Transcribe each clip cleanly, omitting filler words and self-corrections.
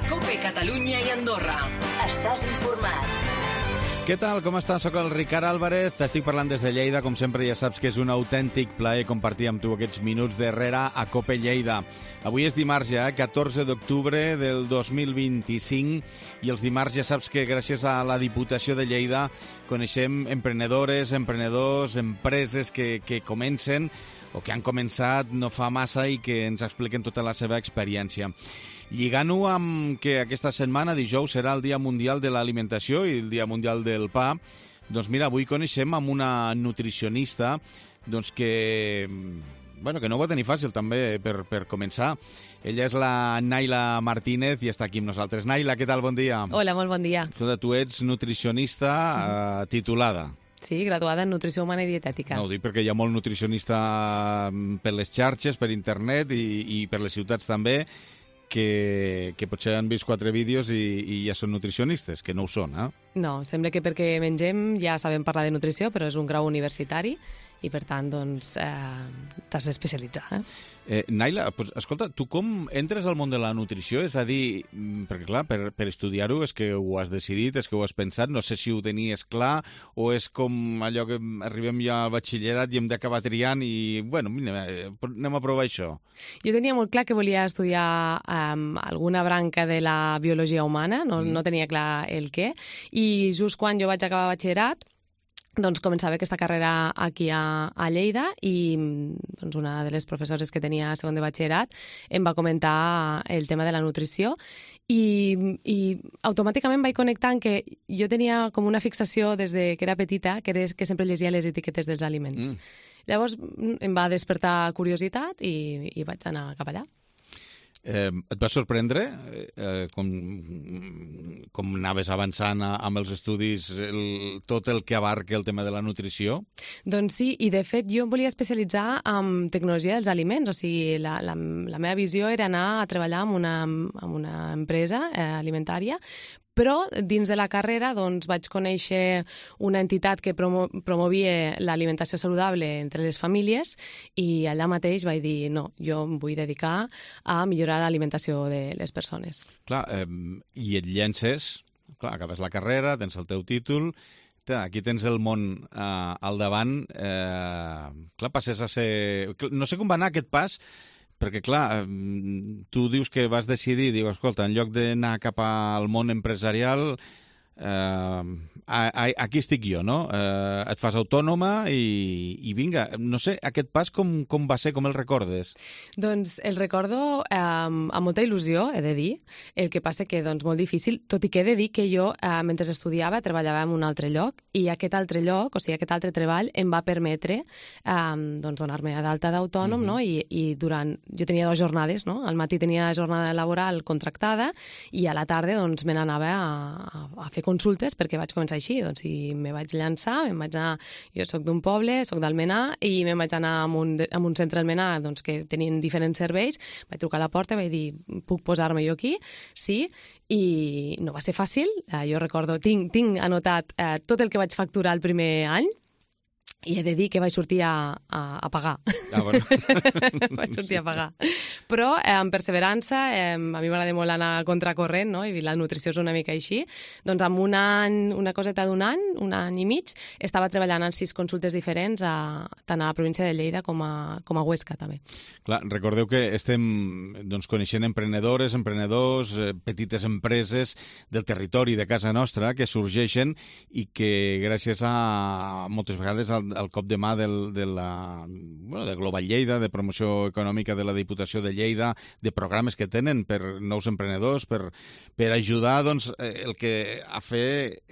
COPE Catalunya i Andorra. Estàs informat. Què tal? Com estàs? Soc el Ricard Álvarez, t'estic parlant des de Lleida. Com sempre ja saps que és un autèntic plaer compartir amb tu aquests minuts darrere a COPE Lleida. Avui és dimarts ja, 14 d'octubre del 2025, i els dimarts ja saps que gràcies a la Diputació de Lleida coneixem emprenedores, emprenedors, empreses que comencen o que han començat no fa massa i que ens expliquen tota la seva experiència. Lligant-ho amb que aquesta setmana, dijous, serà el Dia Mundial de l'Alimentació i el Dia Mundial del Pa, doncs mira, avui coneixem amb una nutricionista doncs que no ho va tenir fàcil també per començar. Ella és la Naila Martínez i està aquí amb nosaltres. Naila, què tal? Bon dia. Hola, molt bon dia. Escolta, tu ets nutricionista titulada. Sí, graduada en Nutrició Humana i Dietètica. No, ho dic perquè hi ha molt nutricionista per les xarxes, per internet i per les ciutats també, que potser han vist 4 vídeos i ja són nutricionistes, que no ho són, eh? No, sembla que perquè mengem ja sabem parlar de nutrició, però és un grau universitari i, per tant, doncs, t'has d'especialitzar. Naila, pues, escolta, tu com entres al món de la nutrició? És a dir, perquè clar, per estudiar-ho és que ho has decidit, és que ho has pensat, no sé si ho tenies clar, o és com allò que arribem ja al batxillerat i hem d'acabar triant i, bueno, mira, anem a provar això. Jo tenia molt clar que volia estudiar alguna branca de la biologia humana, no tenia clar el què, i just quan jo vaig acabar batxillerat, doncs començava aquesta carrera aquí a Lleida i doncs, una de les professores que tenia a segon de batxillerat em va comentar el tema de la nutrició i automàticament vaig connectar en que jo tenia com una fixació des de que era petita, que sempre llegia les etiquetes dels aliments. Llavors em va despertar curiositat i vaig anar cap allà. Et va sorprendre com anaves avançant amb els estudis, tot el que abarca el tema de la nutrició? Doncs sí, i de fet jo em volia especialitzar en tecnologia dels aliments, o sigui, la meva visió era anar a treballar en una empresa alimentària, però dins de la carrera doncs, vaig conèixer una entitat que promovia l'alimentació saludable entre les famílies i allà mateix vaig dir, no, jo em vull dedicar a millorar l'alimentació de les persones. Clar, i et llences, clar, acabes la carrera, tens el teu títol, aquí tens el món al davant, clar, passes a ser... No sé com va anar aquest pas, perquè, clar, tu dius que vas decidir, dius, escolta, en lloc d'anar cap al món empresarial, aquí estic jo, no? Et fas autònoma i vinga, no sé, aquest pas com va ser, com el recordes? Doncs el recordo amb molta il·lusió, he de dir. El que passa que, doncs, molt difícil, tot i que he de dir que jo, mentre estudiava, treballava en un altre lloc i aquest altre lloc, o sigui, aquest altre treball, em va permetre doncs, donar-me d'alta d'autònom, no? I durant... Jo tenia 2 jornades, no? Al matí tenia jornada laboral contractada i a la tarda, doncs, me n'anava a fer consultes perquè vaig començar així, doncs, i me vaig llançar, jo soc d'un poble, soc d'Almenar, i me'n vaig anar a un centre d'Almenar doncs, que tenien diferents serveis, vaig trucar a la porta, vaig dir, puc posar-me jo aquí? Sí, i no va ser fàcil, jo recordo, tinc anotat tot el que vaig facturar el primer any, i he de dir que vaig sortir a pagar. Bueno. Vaig sortir a pagar. Però amb perseverança, a mi m'agrada molt anar a contracorrent, no? I la nutrició és una mica així. Doncs amb un any, una coseta d'un any i mig, estava treballant en 6 consultes diferents, tant a la província de Lleida com a Huesca, també. Clar, recordeu que estem doncs, coneixent emprenedores, emprenedors, petites empreses del territori de casa nostra que sorgeixen i que gràcies a moltes vegades al cop de mà de Global Lleida, de promoció econòmica de la Diputació de Lleida, de programes que tenen per nous emprenedors, per ajudar doncs, a fer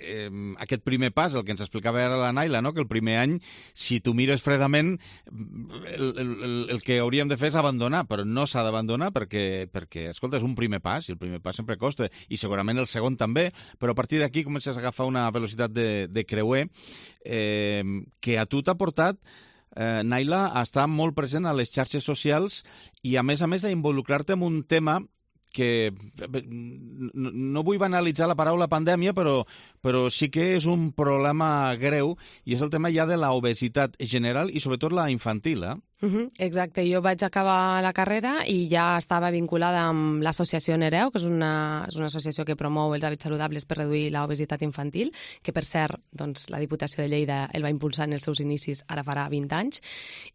aquest primer pas, el que ens explicava ara la Naila, no? Que el primer any, si tu mires fredament, el que hauríem de fer és abandonar, però no s'ha d'abandonar perquè, escolta, és un primer pas, i el primer pas sempre costa, i segurament el segon també, però a partir d'aquí comences a agafar una velocitat de creuer que a tu t'ha portat, Naila, a estar molt present a les xarxes socials i, a més, a involucrar-te en un tema que no vull banalitzar la paraula pandèmia, però sí que és un problema greu i és el tema ja de l'obesitat general i sobretot la infantil, eh? Exacte, jo vaig acabar la carrera i ja estava vinculada amb l'associació Nereu, que és una associació que promou els hàbits saludables per reduir l'obesitat infantil, que per cert, doncs, la Diputació de Lleida el va impulsar en els seus inicis, ara farà 20 anys,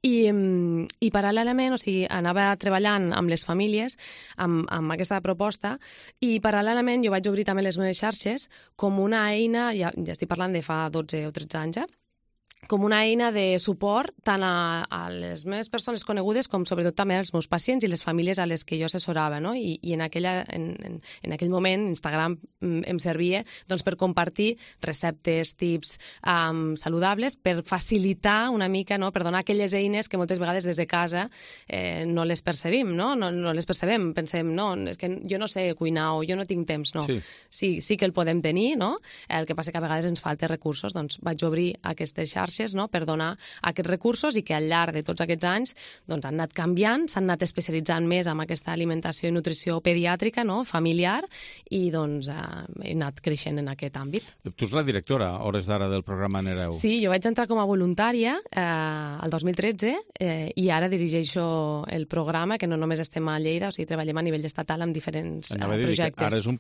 i paral·lelament, o sigui, anava treballant amb les famílies amb aquesta proposta, i paral·lelament jo vaig obrir també les meves xarxes com una eina, ja estic parlant de fa 12 o 13 anys, com una eina de suport tant a les meves persones conegudes com sobretot també als meus pacients i les famílies a les que jo assessorava, no? I en aquell moment Instagram em servia doncs, per compartir receptes, tips saludables, per facilitar una mica, no? Per donar aquelles eines que moltes vegades des de casa no les percebim, no? No les percebem, pensem, no, és que jo no sé cuinar o jo no tinc temps, no. Sí que el podem tenir, no? El que passa que a vegades ens falten recursos, doncs vaig obrir aquestes xarxes, no?, per donar aquests recursos i que al llarg de tots aquests anys doncs, han anat canviant, s'han anat especialitzant més en aquesta alimentació i nutrició pediàtrica, no?, familiar, i doncs he anat creixent en aquest àmbit. Tu ets la directora, a hores d'ara, del programa Nereu. Sí, jo vaig entrar com a voluntària el 2013 i ara dirigeixo el programa, que no només estem a Lleida, o sigui, treballem a nivell estatal amb diferents projectes. Ara és un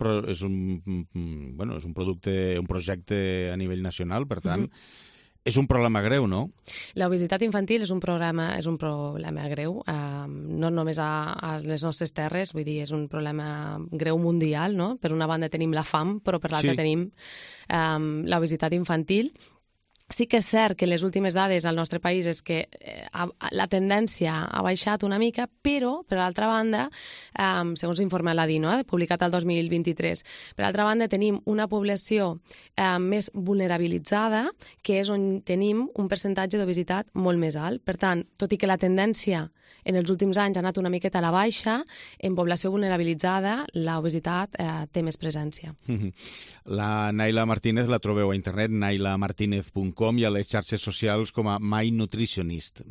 projecte a nivell nacional, per tant, és un problema greu, no? L'obesitat infantil és un problema greu, no només a les nostres terres, vull dir, és un problema greu mundial, no? Per una banda tenim la fam, però per l'altra tenim l'obesitat infantil. Sí que és cert que les últimes dades al nostre país és que la tendència ha baixat una mica, però, per l'altra banda, segons l'informe Aladino, publicat el 2023, per l'altra banda tenim una població més vulnerabilitzada, que és on tenim un percentatge d'obesitat molt més alt. Per tant, tot i que la tendència en els últims anys ha anat una miqueta a la baixa, en població vulnerabilitzada l'obesitat té més presència. La Naila Martínez la trobeu a internet, nailamartinez.com, i a les xarxes socials com a My Nutritionist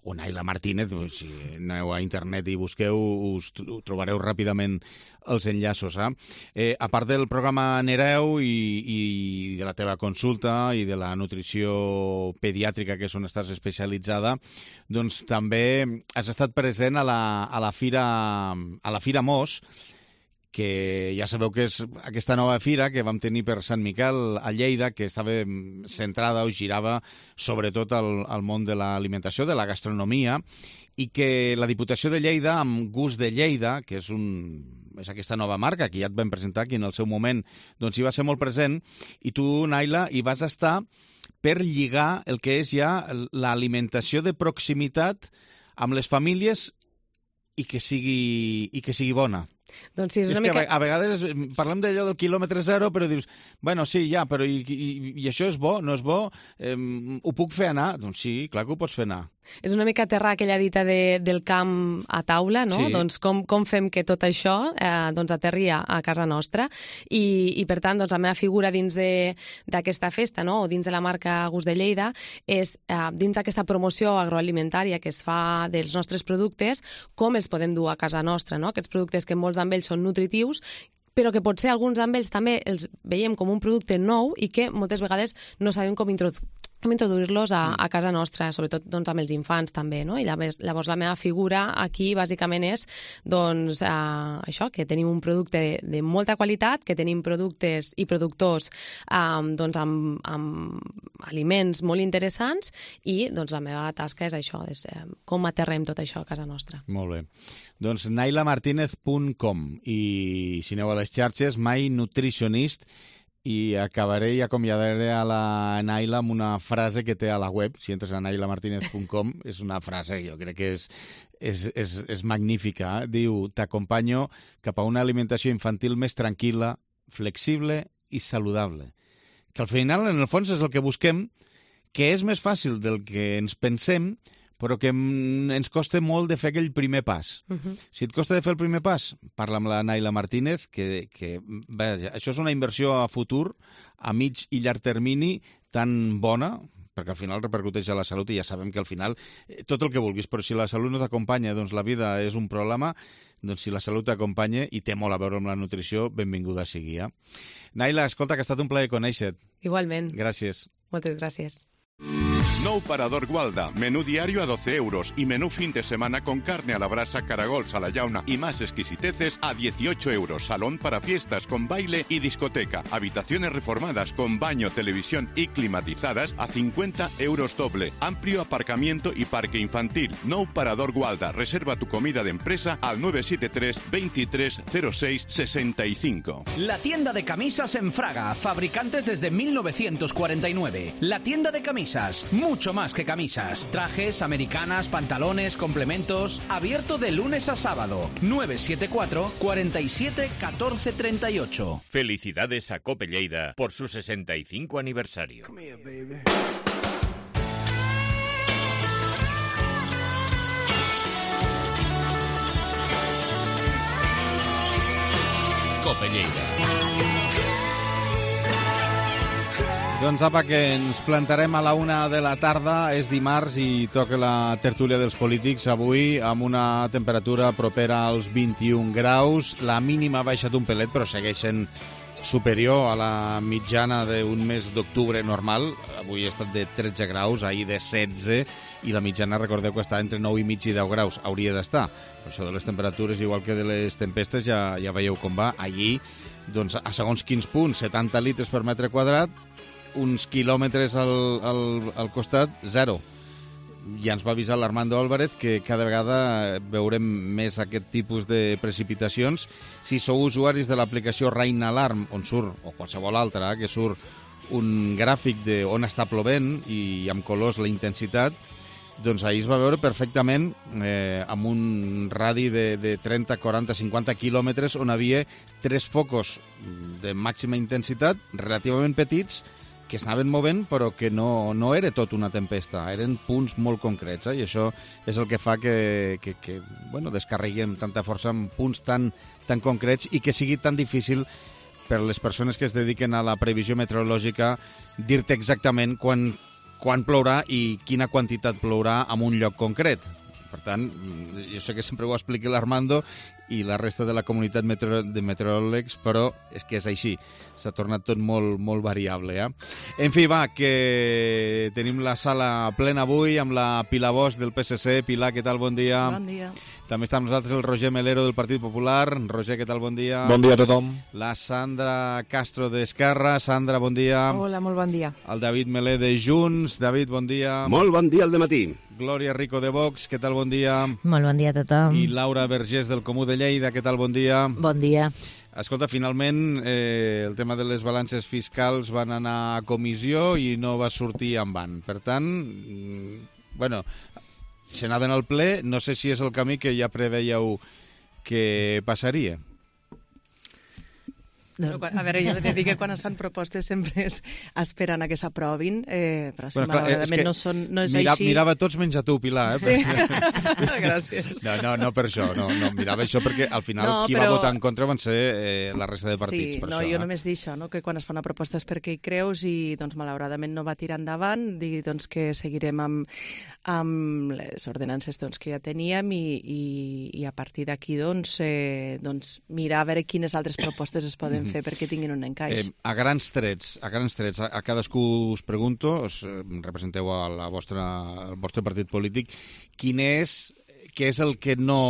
o Naila Martínez. Si aneu a internet i busqueu, us trobareu ràpidament els enllaços. A part del programa Nereu i de la teva consulta i de la nutrició pediàtrica, que és on estàs especialitzada, doncs també has estat present a la Fira Mos, que ja sabeu que és aquesta nova fira que vam tenir per Sant Miquel a Lleida, que estava centrada o girava sobretot al món de l'alimentació, de la gastronomia, i que la Diputació de Lleida, amb Gust de Lleida, que és aquesta nova marca que ja et vam presentar aquí en el seu moment, doncs hi va ser molt present, i tu, Naila, hi vas estar per lligar el que és ja l'alimentació de proximitat amb les famílies i que sigui bona. Doncs sí, és una mica... A vegades parlem d'allò del quilòmetre zero, però dius, bueno, sí, ja, però i això és bo, no és bo? Ho puc fer anar? Doncs sí, clar que ho pots fer anar. És una mica aterrar aquella dita del camp a taula, no? Sí. Doncs com fem que tot això doncs aterri a casa nostra i per tant, doncs, la meva figura dins d'aquesta festa, no? O dins de la marca Gust de Lleida és dins d'aquesta promoció agroalimentària que es fa dels nostres productes, com els podem dur a casa nostra, no? Aquests productes que molts d'ells són nutritius, però que potser alguns d'ells també els veiem com un producte nou i que moltes vegades no sabem com introduir-los a casa nostra, sobretot doncs, amb els infants també, no? I llavors la meva figura aquí bàsicament és doncs, això, que tenim un producte de molta qualitat, que tenim productes i productors doncs, amb aliments molt interessants i doncs, la meva tasca és això, és com aterrem tot això a casa nostra. Molt bé. Doncs nailamartinez.com i si aneu a les xarxes, My Nutritionist, i acabaré i acomiadaré a la Naila amb una frase que té a la web. Si entres a nailamartinez.com, és una frase que jo crec que és magnífica. Diu, t'acompanyo cap a una alimentació infantil més tranquil·la, flexible i saludable. Que al final, en el fons, és el que busquem, que és més fàcil del que ens pensem, però que ens costa molt de fer aquell primer pas. Si et costa de fer el primer pas, parla amb la Naila Martínez, que això és una inversió a futur, a mig i llarg termini, tan bona, perquè al final repercuteix a la salut i ja sabem que al final tot el que vulguis, però si la salut no t'acompanya, doncs la vida és un problema, doncs si la salut t'acompanya i té molt a veure amb la nutrició, benvinguda sigui. Naila, escolta, que ha estat un plaer conèixer-te. Igualment. Gràcies. Moltes gràcies. Nou Parador Gualda, menú diario a 12 euros y menú fin de semana con carne a la brasa, caragols a la llauna y más exquisiteces a 18 euros. Salón para fiestas con baile y discoteca. Habitaciones reformadas con baño, televisión y climatizadas a 50 euros doble. Amplio aparcamiento y parque infantil. Nou Parador Gualda. Reserva tu comida de empresa al 973 23 06 65. La tienda de camisas en Fraga, fabricantes desde 1949. La tienda de camisas, mucho más que camisas. Trajes, americanas, pantalones, complementos. Abierto de lunes a sábado. 974 47 14 38. Felicidades a Cope Lleida por su 65 aniversario. Cope Lleida. Doncs apa, que ens plantarem a la 1 de la tarda, és dimarts i toca la tertúlia dels polítics avui amb una temperatura propera als 21 graus. La mínima ha baixat un pelet, però segueix sent superior a la mitjana d'un mes d'octubre normal. Avui ha estat de 13 graus, ahir de 16, i la mitjana, recordeu que està entre 9 i mig i 10 graus. Hauria d'estar. Per això de les temperatures, igual que de les tempestes, ja veieu com va. Allí, doncs, a segons quins punts, 70 litres per metre quadrat, uns quilòmetres al costat, 0. Ja ens va avisar l'Armando Álvarez que cada vegada veurem més aquest tipus de precipitacions. Si sou usuaris de l'aplicació Rain Alarm, on surt, o qualsevol altra, que surt un gràfic d'on està plovent i amb colors la intensitat, doncs ahir es va veure perfectament amb un radi de 30, 40, 50 quilòmetres on havia 3 focus de màxima intensitat, relativament petits, que s'anaven movent, però que no era tot una tempesta, eren punts molt concrets, i això és el que fa que descarreguem tanta força en punts tan concrets i que sigui tan difícil per les persones que es dediquen a la previsió meteorològica dir-te exactament quan plourà i quina quantitat plourà en un lloc concret. Per tant, jo sé que sempre ho explica l'Armando i la resta de la comunitat de meteoròlegs, però és que és així. S'ha tornat tot molt variable. En fi, va, que tenim la sala plena avui amb la Pilar Bosch del PSC. Pilar, què tal? Bon dia. Bon dia. També està amb nosaltres el Roger Melero del Partit Popular. Roger, què tal? Bon dia. Bon dia a tothom. La Sandra Castro d'Esquerra. Sandra, bon dia. Hola, molt bon dia. El David Melé de Junts. David, bon dia. Molt bon dia al dematí. Glòria Rico de Vox, què tal? Bon dia. Molt bon dia a tothom. I Laura Vergés del Comú de Lleida, què tal? Bon dia. Bon dia. Escolta, finalment el tema de les balances fiscals van anar a comissió i no va sortir en van. Per tant, se n'anaven al ple, no sé si és el camí que ja preveieu que passaria. No, a veure, jo he de dir que quan es fan propostes sempre es esperen a que s'aprovin, però si malauradament no és així... Mirava tots menys a tu, Pilar. Sí? Gràcies. No per això, no, mirava això perquè al final qui va votar en contra van ser la resta de partits. Sí, per no, això, jo només dic això, que quan es fa una proposta és perquè hi creus i doncs, malauradament no va tirar endavant, dir doncs, que seguirem amb les ordenances que ja teníem i a partir d'aquí mirar a veure quines altres propostes es poden fer perquè tinguin un encaix. A grans trets, a cadascú us pregunto, representeu al vostre partit polític, què és el que no...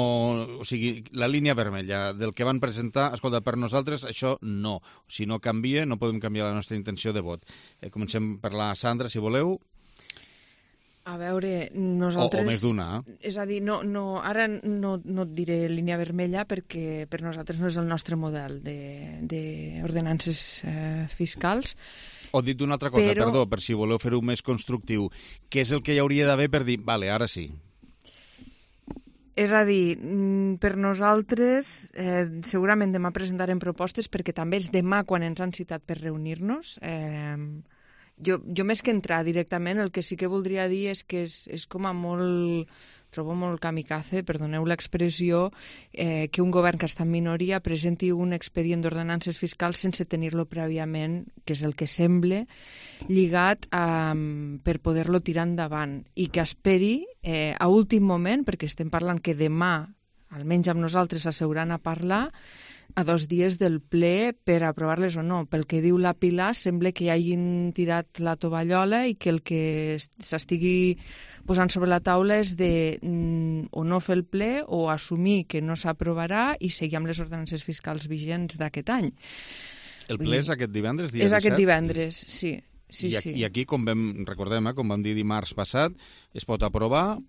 O sigui, la línia vermella del que van presentar, escolta, per nosaltres això no. Si no canvia, no podem canviar la nostra intenció de vot. Comencem per la Sandra, si voleu. A veure, nosaltres... O més d'una. És a dir, ara no et diré línia vermella perquè per nosaltres no és el nostre model d'ordenances fiscals. O dit d'una altra cosa, perdó, per si voleu fer-ho més constructiu. Què és el que hi hauria d'haver per dir, vale, ara sí? És a dir, per nosaltres, segurament demà presentarem propostes perquè també és demà quan ens han citat per reunir-nos. Jo més que entrar directament, el que sí que voldria dir és que és com a molt... Trobo molt kamikaze, perdoneu l'expressió, que un govern que està en minoria presenti un expedient d'ordenances fiscals sense tenir-lo prèviament, que és el que sembla, lligat per poder-lo tirar endavant i que esperi a últim moment, perquè estem parlant que demà, almenys amb nosaltres, s'asseuran a parlar, a 2 dies del ple per aprovar-les o no. Pel que diu la Pilar, sembla que hi hagin tirat la tovallola i que el que s'estigui posant sobre la taula és de o no fer el ple o assumir que no s'aprovarà i seguir amb les ordenances fiscals vigents d'aquest any. El ple és aquest divendres, dia 17? És aquest divendres, sí. I aquí, com recordem, com vam dir dimarts passat, es pot aprovar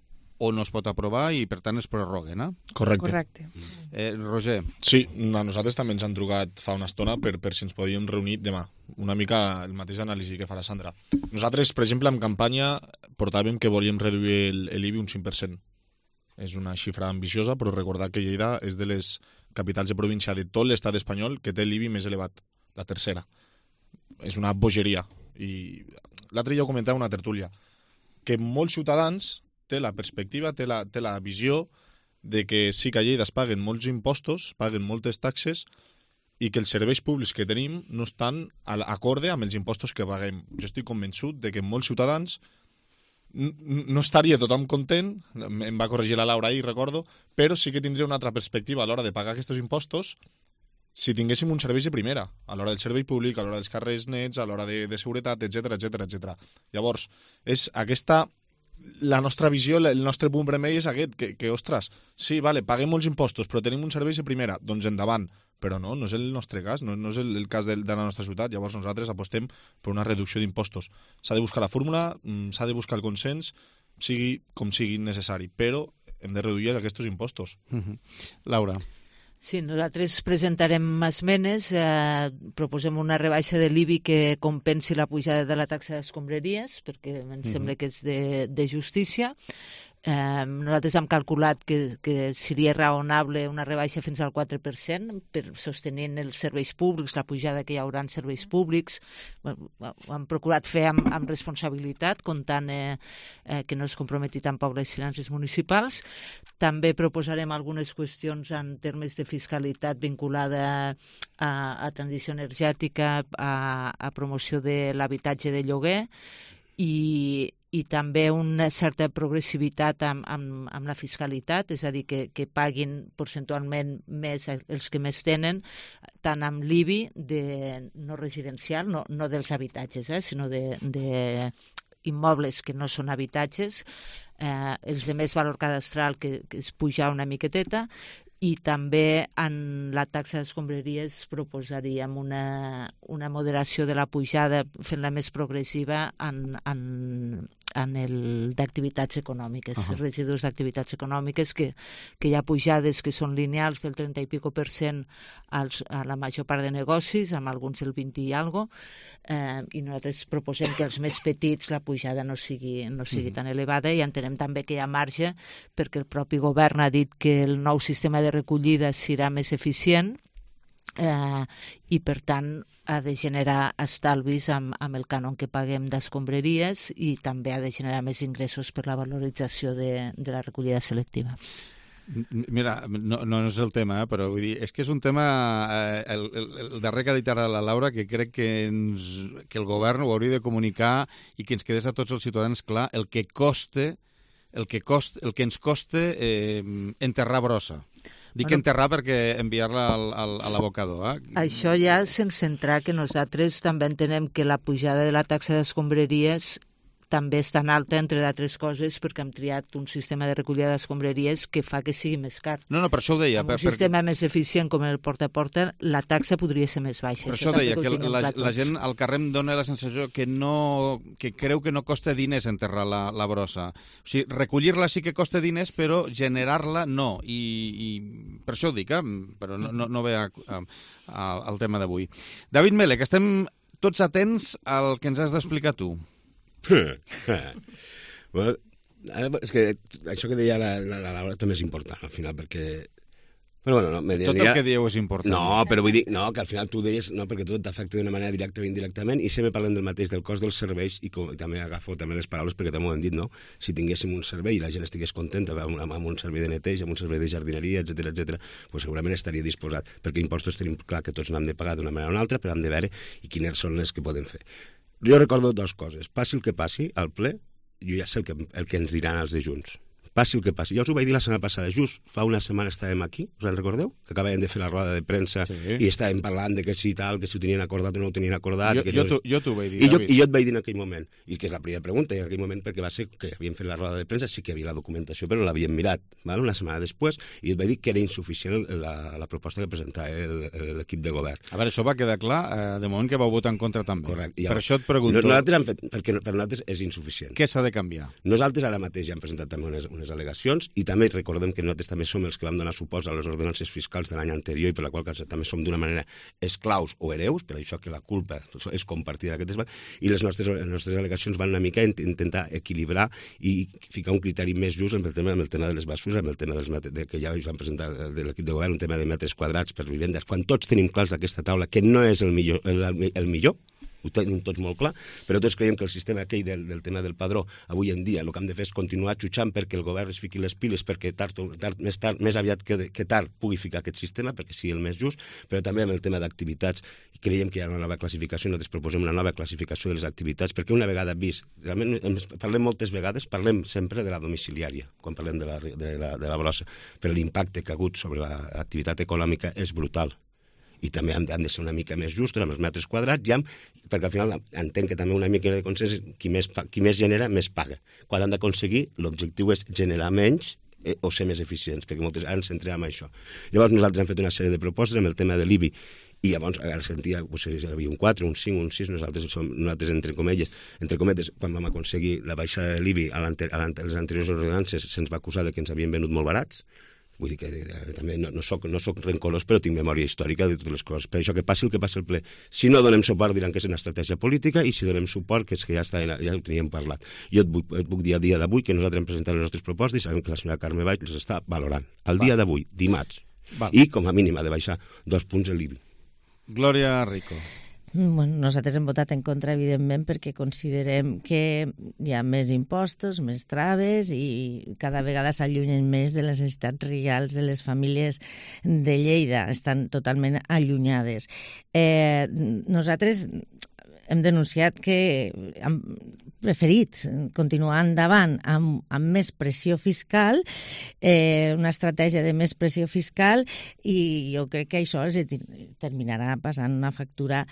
o no es pot aprovar i, per tant, es prorroguen, eh? Correcte. Roger. Sí, a nosaltres també ens han trucat fa una estona per si ens podíem reunir demà. Una mica el mateix anàlisi que farà Sandra. Nosaltres, per exemple, en campanya portàvem que volíem reduir l'IBI un 5%. És una xifra ambiciosa, però recordar que Lleida és de les capitals de província de tot l'estat espanyol que té l'IBI més elevat, la tercera. És una bogeria. I l'altre dia ho comentava una tertúlia, que molts ciutadans té la perspectiva, té la visió de que sí que a Lleida es paguen molts impostos, paguen moltes taxes i que els serveis públics que tenim no estan acorde amb els impostos que paguem. Jo estic convençut de que molts ciutadans no estaria tothom content, em va corregir la Laura ahir, recordo, però sí que tindria una altra perspectiva a l'hora de pagar aquests impostos si tinguéssim un servei de primera, a l'hora del servei públic, a l'hora dels carrers nets, a l'hora de seguretat, etc. Llavors, és aquesta... La nostra visió, el nostre punt vermell és aquest, que ostres, sí, vale, paguem molts impostos, però tenim un servei de primera, doncs endavant. Però no és el nostre cas, no és el cas de la nostra ciutat. Llavors nosaltres apostem per una reducció d'impostos. S'ha de buscar la fórmula, s'ha de buscar el consens, sigui com sigui necessari, però hem de reduir aquests impostos. Laura. Sí, nosaltres presentarem esmenes, proposem una rebaixa de l'IBI que compensi la pujada de la taxa d'escombraries, perquè em sembla que és de justícia. Nosaltres hem calculat que seria raonable una rebaixa fins al 4% per sostenint els serveis públics, la pujada que hi haurà en serveis públics. Ho hem procurat fer amb responsabilitat, comptant que no es comprometi tampoc les finances municipals. També proposarem algunes qüestions en termes de fiscalitat vinculada a transició energètica, a promoció de l'habitatge de lloguer i també una certa progressivitat amb la fiscalitat, és a dir, que paguin percentualment més els que més tenen, tant amb l'IBI no residencial, no dels habitatges, sinó de immobles que no són habitatges, els de més valor cadastral que es puja una miqueteta, i també en la taxa d'escombraries proposaríem una moderació de la pujada, fent-la més progressiva en el d'activitats econòmiques, residus d'activitats econòmiques, que hi ha pujades que són lineals del 30 i pico% a la major part de negocis, amb alguns el 20 i algo, i nosaltres proposem que els més petits la pujada no sigui tan elevada, i entenem també que hi ha marge perquè el propi govern ha dit que el nou sistema de recollida serà més eficient i per tant ha de generar estalvis amb el cànon que paguem d'escombraries i també ha de generar més ingressos per la valorització de la recollida selectiva. Mira, no és el tema, però vull dir, és que és un tema, el darrer que ha dit ara la Laura, que crec que el govern ho hauria de comunicar i que ens quedés a tots els ciutadans clar el que ens costa enterrar brossa. Dic enterrar perquè enviar-la a l'abocador. Això ja sense entrar que nosaltres també entenem que la pujada de la taxa d'escombraries també és tan alta, entre d'altres coses, perquè hem triat un sistema de recollida d'escombraries que fa que sigui més car. No, per això ho deia. Amb un sistema més eficient com el porta a porta, la taxa podria ser més baixa. Per això ho deia, que la gent al carrer em dona la sensació que creu que no costa diners enterrar la brossa. O sigui, recollir-la sí que costa diners, però generar-la no. I per això ho dic, però no ve al tema d'avui. David Mele, que estem tots atents al que ens has d'explicar tu. Bueno, és que això que deia la Laura també és important al final, perquè Però bueno, no, tot el que dieu és important. No, però vull dir que al final tu deies perquè tot t'afecta d'una manera directa o indirectament, i sempre parlem del mateix, del cost dels serveis, i també agafo també les paraules perquè també ho hem dit, no? Si tinguéssim un servei i la gent estigués contenta amb un servei de neteja, amb un servei de jardineria, etc, doncs segurament estaria disposat, perquè impostos tenim clar que tots n'hem de pagar d'una manera o una altra, però hem de veure i quines són les que podem fer. Jo recordo dues coses. Passi el que passi, al ple, jo ja sé el que ens diran els de Junts. passi el que passi. Jo us ho vaig dir la setmana passada, just fa una setmana estàvem aquí, us en recordeu? Que acabàvem de fer la roda de premsa i estàvem parlant de que si tal, que si ho tenien acordat o no ho tenien acordat. Jo t'ho vaig dir, David. I jo et vaig dir en aquell moment, i que és la primera pregunta, i en aquell moment perquè va ser que havíem fet la roda de premsa, sí que hi havia la documentació, però no l'havíem mirat, una setmana després, i et vaig dir que era insuficient la proposta que presentava l'equip de govern. A veure, això va quedar clar, de moment que vau votar en contra també. Correcte. Per això et pregunto... Nosaltres hem fet, perquè per nosaltres és insuficient. Què s'ha de canviar? Nosaltres ara mateix ja hem presentat també unes al·legacions i també recordem que nosaltres també som els que vam donar suport a les ordenances fiscals de l'any anterior i per la qual cosa també som d'una manera esclaus o hereus, per això que la culpa és compartida d'aquestes... I les nostres al·legacions van una mica intentar equilibrar i ficar un criteri més just amb el tema de les bases, amb el tema que ja van presentar de l'equip de govern, un tema de metres quadrats per vivendes, quan tots tenim clars d'aquesta taula que no és el millor, ho tenim tots molt clar, però tots creiem que el sistema aquell del tema del padró, avui en dia el que hem de fer és continuar xutxant perquè el govern es fiqui les piles perquè més aviat que tard pugui ficar aquest sistema perquè sigui el més just, però també amb el tema d'activitats. Creiem que hi ha una nova classificació, nosaltres proposem una nova classificació de les activitats perquè una vegada vist, realment parlem moltes vegades, parlem sempre de la domiciliària, quan parlem de la brossa, però l'impacte que ha hagut sobre l'activitat econòmica és brutal. I també han de ser una mica més justos amb els metres quadrats, perquè al final entenc que també una mica de consens, qui més genera, més paga. Quan han d'aconseguir, l'objectiu és generar menys o ser més eficients, perquè moltes ens centrem en això. Llavors nosaltres hem fet una sèrie de propostes amb el tema de l'IBI, i llavors ara sentia, hi havia un 4, un 5, un 6, nosaltres entre cometes, quan vam aconseguir la baixada de l'IBI a les anteriors ordenances, se'ns va acusar que ens havien venut molt barats. Vull dir que també no soc rencolós, però tinc memòria històrica de totes les coses. Per això que passi el que passi al ple. Si no donem suport diran que és una estratègia política i si donem suport que és que ja ho teníem parlat. Jo et puc dir al dia d'avui que nosaltres hem presentat les nostres propostes i sabem que la senyora Carme Valls les està valorant. Al dia d'avui, dimarts. I com a mínim ha de baixar 2 punts l'IBI. Glòria Rico. Bueno, nosaltres hem votat en contra, evidentment, perquè considerem que hi ha més impostos, més traves i cada vegada s'allunyen més de les necessitats reals de les famílies de Lleida. Estan totalment allunyades. Nosaltres hem denunciat que hem preferit continuar endavant amb més pressió fiscal, una estratègia de més pressió fiscal, i jo crec que això els terminarà passant una factura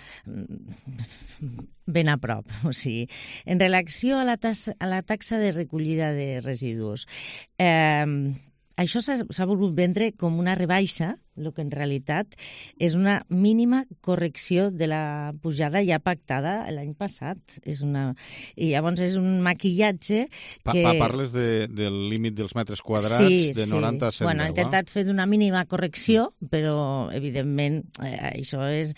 ben a prop. O sigui, en relació a la taxa de recollida de residus, això s'ha volgut vendre com una rebaixa, el que en realitat és una mínima correcció de la pujada ja pactada l'any passat. I llavors és un maquillatge que... Parles del límit dels metres quadrats de 90 a 110. Bueno, ha intentat fer una mínima correcció, però evidentment això és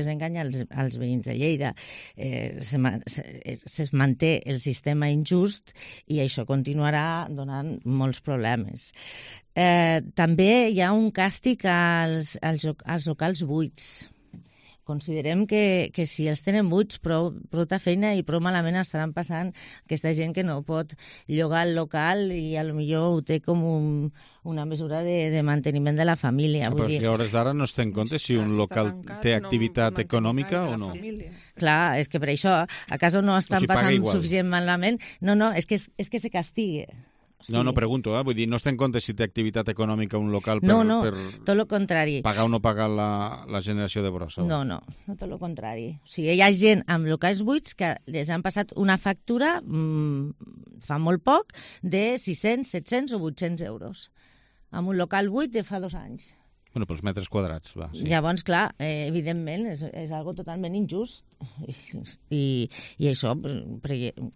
enganyar els veïns de Lleida. Es manté el sistema injust i això continuarà donant molts problemes. També hi ha un càstig als locals buits. Considerem que si els tenen buits, prou feina i prou malament estaran passant aquesta gent que no pot llogar el local i potser ho té com una mesura de manteniment de la família. Però a hores d'ara no es té en compte si un local té activitat econòmica o no. Clar, és que per això a casa no estan passant suficient malament. No, és que se castiga. Sí. No, pregunto, vull dir, no es té en compte si té activitat econòmica un local per tot el contrari. Pagar o no pagar la generació de brossa. No, tot el contrari. O sigui, hi ha gent amb locals buits que les han passat una factura fa molt poc de 600, 700 o 800 euros. Amb un local buit de fa 2 anys. Bueno, pels metres quadrats, va. Sí. Llavors, clar, evidentment, és algo totalment injust. I això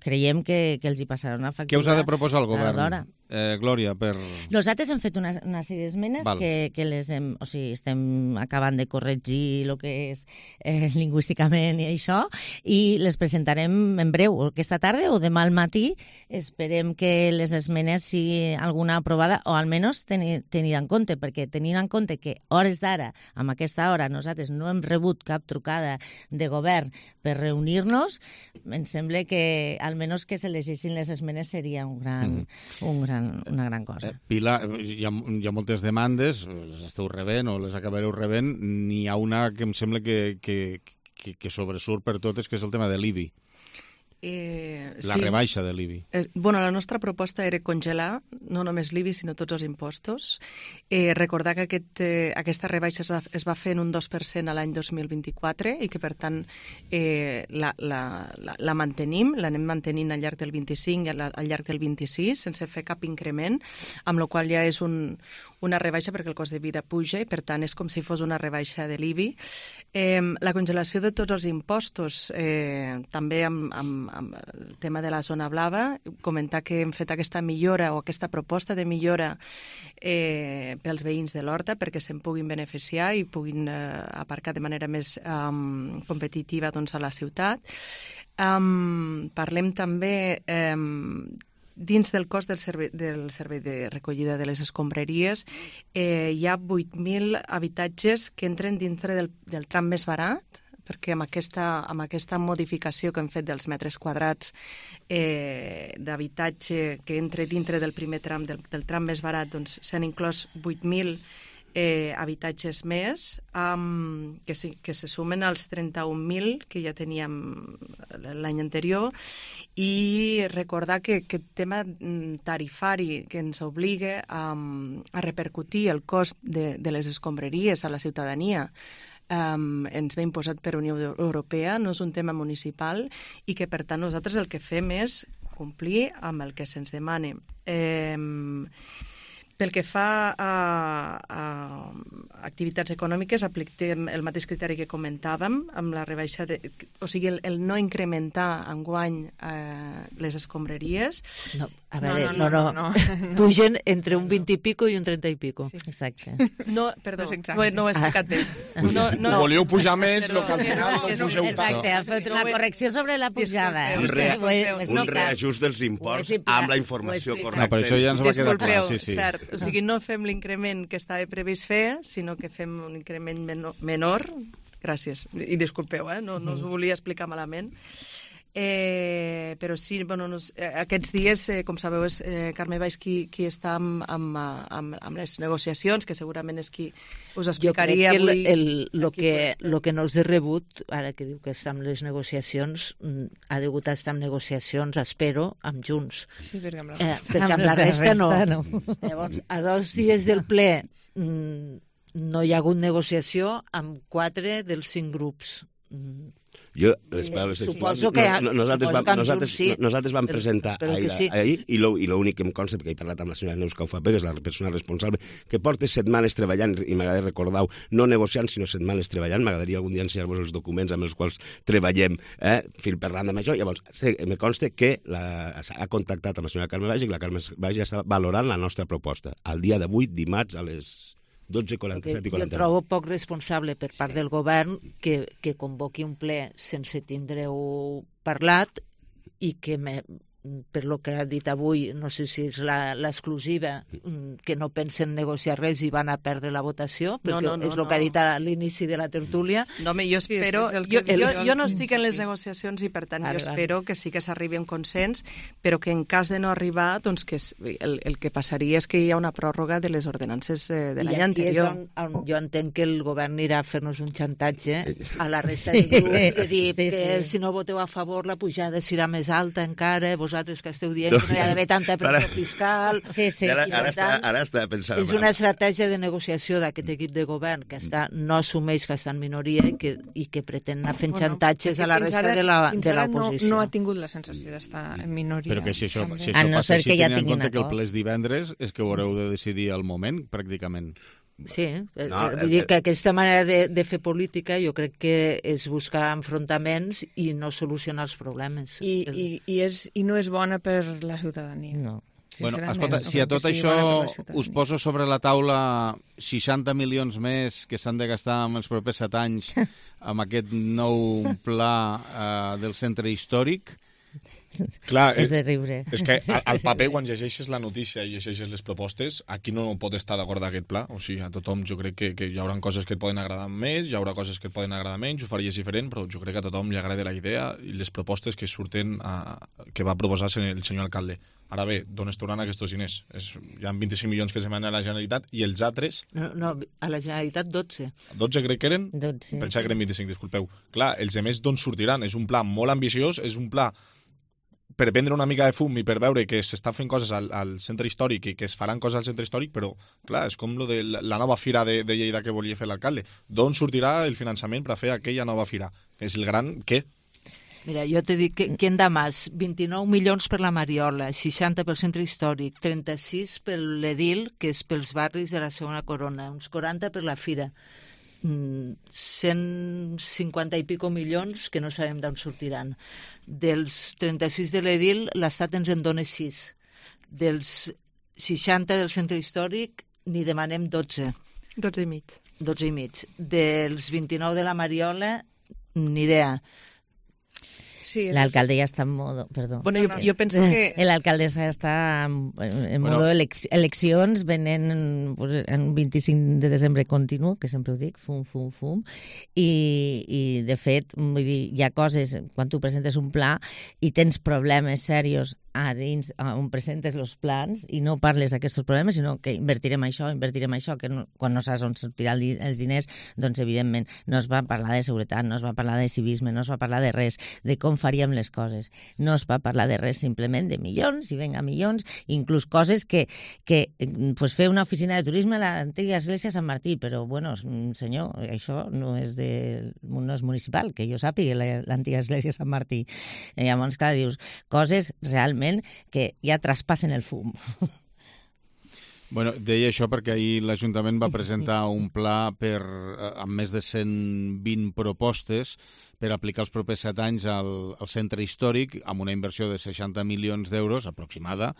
creiem que els hi passarà una factura. Què us ha de proposar el govern? Glòria, per... Nosaltres hem fet una sèrie d'esmenes que les hem... O sigui, estem acabant de corregir el que és lingüísticament i això, i les presentarem en breu, aquesta tarda o demà al matí. Esperem que les esmenes siguin alguna aprovada o almenys tenida en compte, perquè tenint en compte que hores d'ara, amb aquesta hora, nosaltres no hem rebut cap trucada de govern per reunir-nos, em sembla que almenys que se llegeixin les esmenes seria una gran cosa. Pilar, hi ha moltes demandes, les esteu rebent o les acabareu rebent, n'hi ha una que em sembla que sobresurt per totes, que és el tema de l'IBI. La rebaixa de l'IBI. La nostra proposta era congelar no només l'IBI, sinó tots els impostos. Recordar que aquesta rebaixa es va fer en un 2% a l'any 2024 i que, per tant, la mantenim, l'anem mantenint al llarg del 25 i al llarg del 26, sense fer cap increment, amb la qual ja és una rebaixa perquè el cost de vida puja i, per tant, és com si fos una rebaixa de l'IBI. La congelació de tots els impostos, també amb el tema de la zona blava, comentar que hem fet aquesta millora o aquesta proposta de millora pels veïns de l'Horta perquè se'n puguin beneficiar i puguin aparcar de manera més competitiva a la ciutat. Parlem també dins del cost del servei de recollida de les escombraries hi ha 8.000 habitatges que entren dintre del tram més barat, perquè amb aquesta modificació que hem fet dels metres quadrats d'habitatge que entra dintre del primer tram, del tram més barat, doncs s'han inclòs 8.000 habitatges més, que se sumen als 31.000 que ja teníem l'any anterior, i recordar que aquest tema tarifari que ens obliga a repercutir el cost de les escombraries a la ciutadania ens ve imposat per Unió Europea, no és un tema municipal i que, per tant, nosaltres el que fem és complir amb el que se'ns demana. Pel que fa a activitats econòmiques, apliquem el mateix criteri que comentàvem, amb la rebaixa o sigui, el no incrementar enguany les escombraries. No, a veure, no. Pugen entre un 20 i pico i un 30 i pico. Sí. Exacte. No, perdó, no ho he explicat bé. No. Volíeu pujar més, el que al final no pugeu tant. Exacte, ha fet una correcció sobre la pujada. Un reajust dels imports amb la informació correcta. No, per això ja ens va quedar clar. Cert. O sigui, no fem l'increment que estava previst fer, sinó que fem un increment menor. Gràcies. I disculpeu, no us ho volia explicar malament. Però sí, aquests dies, com sabeu, és Carme Valls qui està amb les negociacions, que segurament és qui us explicaria avui. Jo crec que el que no és de rebut, ara que diu que està amb les negociacions, ha degut estar amb negociacions, espero, amb Junts. Sí, perquè amb la resta no. Llavors, a 2 dies del ple no hi ha hagut negociació amb 4 dels 5 grups. Suposo que nosaltres vam presentar ahir i l'únic que em consta, perquè he parlat amb la senyora Neus Caufapé, que és la persona responsable, que porta setmanes treballant, i m'agradaria recordar-ho, no negociant, sinó setmanes treballant. M'agradaria algun dia ensenyar-vos els documents amb els quals treballem, fil parlant amb això. Llavors, me consta que ha contactat amb la senyora Carme Valls i que la Carme Valls ja està valorant la nostra proposta. Al dia d'avui, dimarts, a les 12:47 i 49. Jo trobo poc responsable per part del govern que convoqui un ple sense tindre-ho parlat i que per lo que ha dit avui, no sé si és l'exclusiva, que no pensen negociar res i van a perdre la votació, perquè és el que ha dit a l'inici de la tertúlia. No, home, jo espero... Jo no estic en les negociacions i, per tant, jo espero que sí que s'arribi a un consens, però que en cas de no arribar, doncs que el que passaria és que hi ha una pròrroga de les ordenances de l'any anterior. I aquí és on jo entenc que el govern anirà a fer-nos un xantatge a la resta de grups, de dir que si no voteu a favor la pujada serà més alta encara, vosaltres que esteu dient que no hi ha d'haver tanta pressió fiscal. Ara està pensant... És una estratègia de negociació d'aquest equip de govern que no assumeix que està en minoria i que pretén anar fent xantatges a la resta de l'oposició. No ha tingut la sensació d'estar en minoria. Però que si això passa així, tenint en compte que el ple és divendres, és que ho haureu de decidir al moment, pràcticament. Sí, vull dir que aquesta manera de fer política jo crec que és buscar enfrontaments i no solucionar els problemes. I no és bona per la ciutadania. No. Bueno, escolta, si a tot això us poso sobre la taula 60 milions més que s'han de gastar en els propers 7 anys amb aquest nou pla del centre històric... Clar, és de riure. És que al paper, quan llegeixes la notícia i llegeixes les propostes, aquí no pot estar d'acord d'aquest pla. O sigui, a tothom jo crec que hi haurà coses que et poden agradar més, hi haurà coses que et poden agradar menys, ho faries diferent, però jo crec que a tothom li agrada la idea i les propostes que surten que va proposar el senyor alcalde. Ara bé, d'on es tornaran aquests diners? Hi ha 25 milions que se manen a la Generalitat i els altres... No, a la Generalitat 12. 12 crec que eren? 12. Pensava que eren 25, disculpeu. Clar, els altres d'on sortiran? És un pla molt ambiciós, és un pla per prendre una mica de fum i per veure que s'estan fent coses al centre històric i que es faran coses al centre històric, però, clar, és com lo de la nova fira de Lleida que volia fer l'alcalde. D'on sortirà el finançament per a fer aquella nova fira? És el gran què? Mira, jo t'he dit que en Damas, 29 milions per la Mariola, 60 pel centre històric, 36 per l'Edil, que és pels barris de la segona corona, uns 40 per la fira. 150 i pico milions que no sabem d'on sortiran. Dels 36 de l'Edil, l'Estat ens en dona 6. Dels 60 del centre històric, n'hi demanem 12. 12 i mig. 12 i mig. Dels 29 de la Mariola, ni idea. Sí, l'alcalde ja està en modo... Perdó. Bueno, jo penso que... L'alcalde està en modo eleccions, venent en 25 de desembre continu, que sempre ho dic, fum, fum, fum, i de fet, vull dir, hi ha coses, quan tu presentes un pla i tens problemes serios a dins on presentes els plans i no parles d'aquests problemes, sinó que invertirem això, que no, quan no saps on sortiran els diners, doncs evidentment no es va parlar de seguretat, no es va parlar de civisme, no es va parlar de res, de com faríem les coses. No es va parlar de res, simplement de milions, i venga milions, inclús coses que pues, fer una oficina de turisme a l'antiga església Sant Martí, però, bueno, senyor, això no és municipal, que jo sàpiga l'antiga església Sant Martí. Llavors, clar, dius, coses realment que ja traspassen el fum. Bueno, deia això perquè ahir l'Ajuntament va presentar un pla amb més de 120 propostes per aplicar els propers 7 anys al centre històric amb una inversió de 60 milions d'euros aproximada,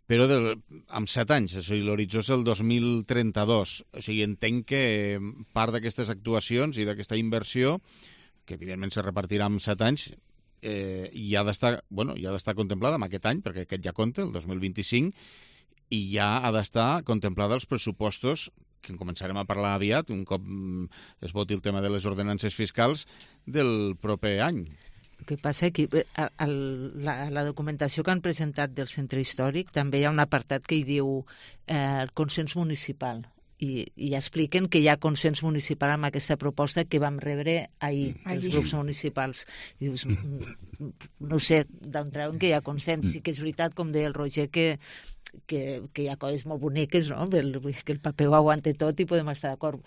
però amb 7 anys, o sigui, l'horitzó és el 2032. O sigui, entenc que part d'aquestes actuacions i d'aquesta inversió, que evidentment se repartirà en 7 anys, i ha d'estar contemplada en aquest any, perquè aquest ja compta, el 2025, i ja ha d'estar contemplada als pressupostos, que en començarem a parlar aviat, un cop es voti el tema de les ordenances fiscals del proper any. El que passa és que a la documentació que han presentat del centre històric també hi ha un apartat que hi diu el consens municipal. I expliquen que hi ha consens municipal amb aquesta proposta que vam rebre ahir, els grups municipals. I dius, no sé d'on treuen que hi ha consens. Sí que és veritat, com deia el Roger, que hi ha coses molt boniques, no? Que el paper ho aguanta tot i podem estar d'acord.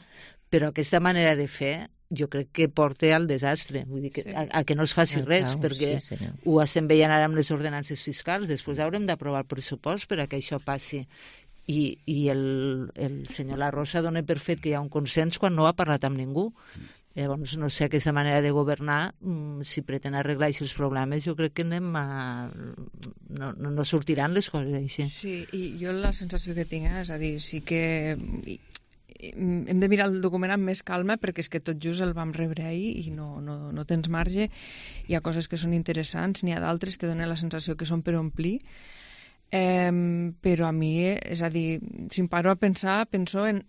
Però aquesta manera de fer jo crec que porta al desastre, vull dir que, a que no es faci res, perquè ho estem veient ara amb les ordenances fiscals, després haurem d'aprovar el pressupost per a que això passi. I el senyor La Rosa dona per fet que hi ha un consens quan no ha parlat amb ningú. Llavors, no sé, aquesta manera de governar, si pretén arreglar aquests problemes, jo crec que no sortiran les coses així. Sí, i jo la sensació que tinc, és a dir, sí que hem de mirar el document amb més calma, perquè és que tot just el vam rebre ahir i no tens marge. Hi ha coses que són interessants, n'hi ha d'altres que donen la sensació que són per omplir. Però a mi, és a dir, si em paro a pensar, penso en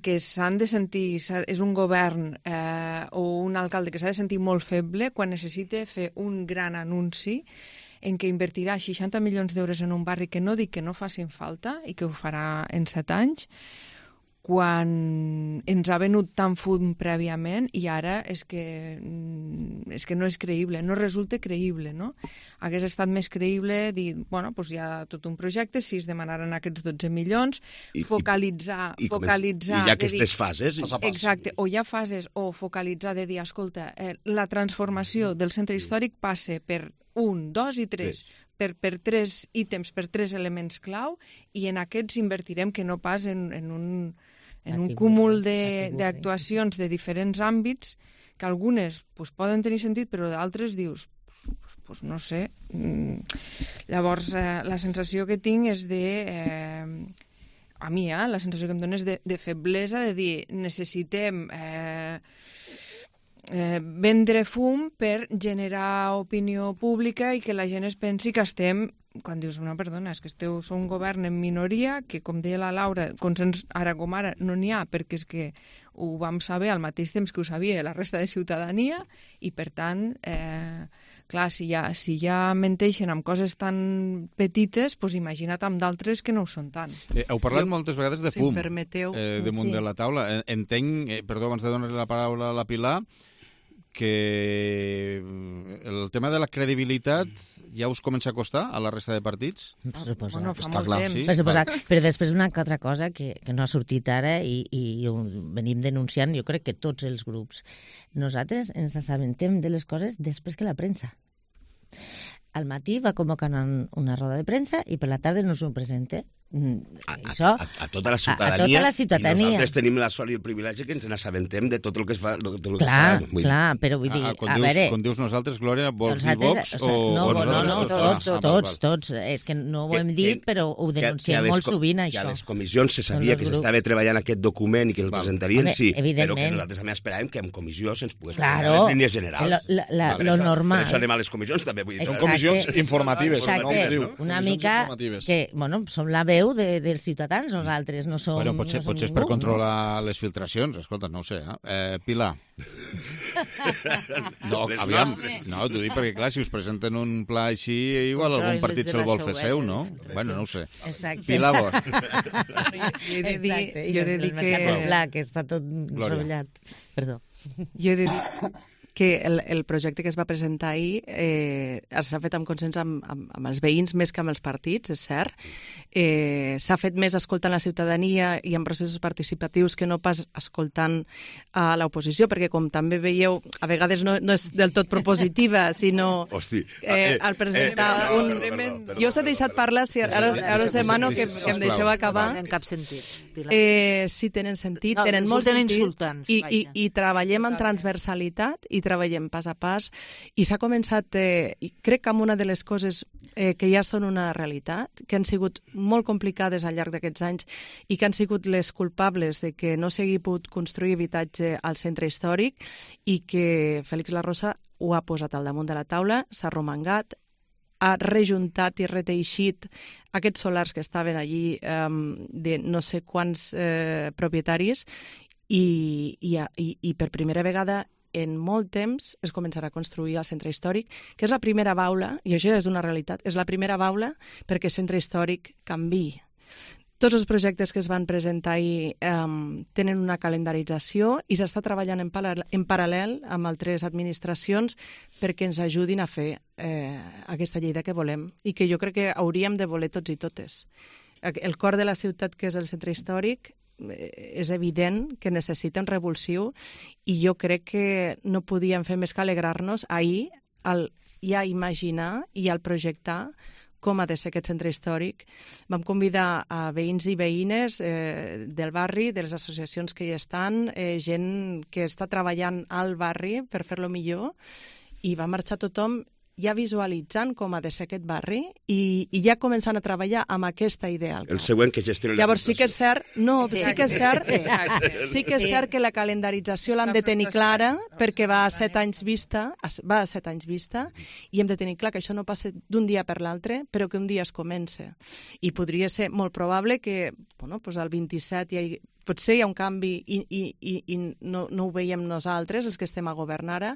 que s'han de sentir, és un govern o un alcalde que s'ha de sentir molt feble quan necessita fer un gran anunci en què invertirà 60 milions d'euros en un barri que no dic que no facin falta i que ho farà en 7 anys, quan ens ha venut tan fum prèviament i ara és que no és creïble, no resulta creïble, no? Hagués estat més creïble dir, bueno, doncs hi ha tot un projecte, si es demanaran aquests 12 milions, focalitzar... I hi ha aquestes fases. Exacte, o hi ha fases, o focalitzar de dir, escolta, la transformació del centre històric passa per 1, 2 i 3, per 3 ítems, per 3 elements clau, i en aquests invertirem, que no pas en un cúmul d'actuacions de diferents àmbits, que algunes poden tenir sentit, però d'altres dius, no sé. Llavors, la sensació que tinc és a mi, la sensació que em dona és de feblesa, de dir, necessitem vendre fum per generar opinió pública i que la gent es pensi que estem, quan dius, no, perdona, és que sou un govern en minoria, que, com deia la Laura, consens ara com ara no n'hi ha, perquè és que ho vam saber al mateix temps que ho sabia la resta de ciutadania, i per tant, clar, si ja menteixen amb coses tan petites, doncs imagina't amb d'altres que no ho són tant. Heu parlat moltes vegades de fum, si em permeteu, damunt de la taula. Entenc, perdó, abans de donar la paraula a la Pilar, que el tema de la credibilitat ja us comença a costar a la resta de partits? Bueno, fa Està molt clar. temps. Sí? Per suposat. Però després una altra cosa que no ha sortit ara i ho venim denunciant, jo crec que tots els grups. Nosaltres ens assabentem de les coses després que la premsa. Al matí va convocar una roda de premsa i per la tarda no s'ho presenta. A tota la ciutadania. A tota la ciutadania. I nosaltres tenim la sort i el privilegi que ens n'assabentem de tot el que es fa. Clar, però vull dir, a veure... Quan dius nosaltres, Glòria, vols dir Vox o... No, tots. És que no ho hem dit, però ho denunciem molt sovint, això. Que a les comissions se sabia que s'estava treballant aquest document i que el presentarien, sí, però que nosaltres també esperàvem que en comissió se'ns pogués presentar les línies generals. Lo normal. Per això anem a les comissions, també. Són comissions informatives. Exacte, una mica que, bueno, som la veu dels ciutadans, nosaltres no som... Bueno, potser és per controlar les filtracions, escolta, no ho sé. Pilar. No, aviam, no, t'ho dic perquè, clar, si us presenten un pla així, igual algun partit se'l vol fer seu, no? Bueno, no ho sé. Pilar, vos. Jo he de dir que... que està tot rotllat. Perdó. Jo he de dir que el projecte que es va presentar ahir s'ha fet amb consens amb els veïns més que amb els partits, és cert. S'ha fet més escoltant la ciutadania i en processos participatius que no pas escoltant a l'oposició, perquè com també veieu, a vegades no és del tot propositiva, sinó al presentar un... Jo us he deixat parlar, ara us demano que em deixeu acabar. En cap sentit. Sí, tenen sentit, tenen molt sentit, i treballem en transversalitat i treballem pas a pas, i s'ha començat, crec que amb una de les coses que ja són una realitat, que han sigut molt complicades al llarg d'aquests anys i que han sigut les culpables de que no s'hagi pogut construir habitatge al centre històric, i que Félix La Rosa ho ha posat al damunt de la taula, s'ha romangat, ha rejuntat i reteixit aquests solars que estaven allí de no sé quants propietaris, i per primera vegada en molt temps es començarà a construir al centre històric, que és la primera baula, i això és una realitat, és la primera baula perquè el centre històric canviï. Tots els projectes que es van presentar ahir tenen una calendarització i s'està treballant en paral·lel amb altres administracions perquè ens ajudin a fer aquesta Lleida que volem i que jo crec que hauríem de voler tots i totes. El cor de la ciutat, que és el centre històric, és evident que necessita un revulsiu, i jo crec que no podíem fer més que alegrar-nos ahir al ja imaginar i al projectar com ha de ser aquest centre històric. Vam convidar a veïns i veïnes del barri, de les associacions que hi estan, gent que està treballant al barri per fer-lo millor, i va marxar tothom ja visualitzant com ha de ser aquest barri i ja començant a treballar amb aquesta idea. El següent que gestioni la... Llavors sí que és cert, sí que és cert que la calendarització l'hem de tenir clara, perquè va a 7 anys vista, i hem de tenir clar que això no passa d'un dia per l'altre, però que un dia es comença. I podria ser molt probable que el 27 potser hi ha un canvi i no ho veiem nosaltres, els que estem a governar ara,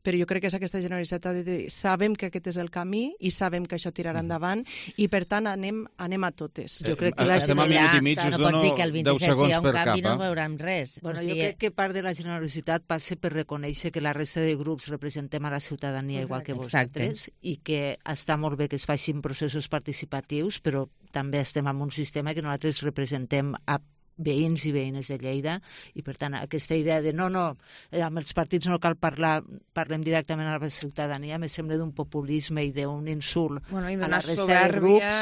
però jo crec que és aquesta Generalitat de dir, sabem que aquest és el camí i sabem que això tirarà endavant, i per tant anem a totes. Jo crec que estem a minut i mig, us dono 10 segons per cap. No veurem res. Jo crec que part de la generositat passa per reconèixer que la resta de grups representem a la ciutadania igual que vosaltres, i que està molt bé que es facin processos participatius, però també estem en un sistema que nosaltres representem a veïns i veïnes de Lleida, i per tant aquesta idea de amb els partits no cal parlar, parlem directament a la ciutadania, me sembla d'un populisme i d'un insult a la resta de grups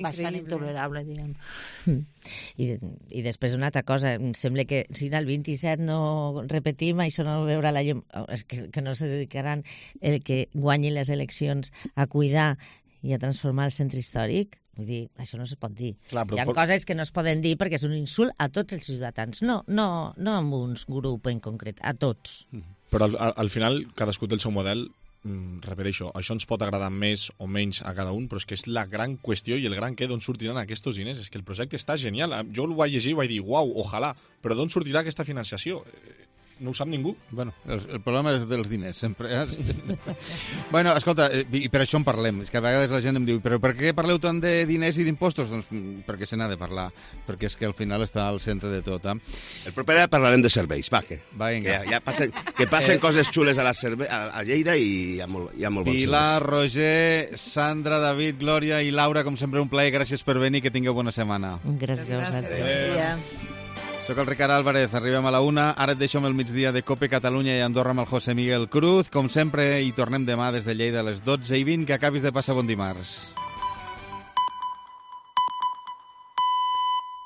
bastant intolerable, diguem. I després una altra cosa, em sembla que si el 27 no repetim, això no veurà la llum, que no se dedicaran el que guanyin les eleccions a cuidar i a transformar el centre històric. Vull dir, això no es pot dir. Clar, hi ha coses que no es poden dir perquè és un insult a tots els ciutadans, no a un grup en concret, a tots. Però al final cadascú té el seu model, repeteixo, això ens pot agradar més o menys a cada un, però és que és la gran qüestió i el gran què d'on sortiran aquests diners. És que el projecte està genial. Jo el vaig llegir i vaig dir, uau, ojalà, però d'on sortirà aquesta financiació? No ho sap ningú. Bueno, el problema és dels diners, sempre. Bueno, escolta, i per això en parlem. És que a vegades la gent em diu, però per què parleu tant de diners i d'impostos? Doncs perquè se n'ha de parlar, perquè és que al final està al centre de tot. El proper dia parlarem de serveis, va, que passen coses xules a Lleida i hi ha molt bons Pilar, Roger, Sandra, David, Glòria i Laura, com sempre un plaer, gràcies per venir, que tingueu bona setmana. Gràcies a vosaltres. Soc el Ricard Álvarez, arribem a la 1, ara et deixo amb el migdia de Cope Catalunya i Andorra amb el José Miguel Cruz. Com sempre, hi tornem demà des de Lleida a les 12:20, que acabis de passar bon dimarts.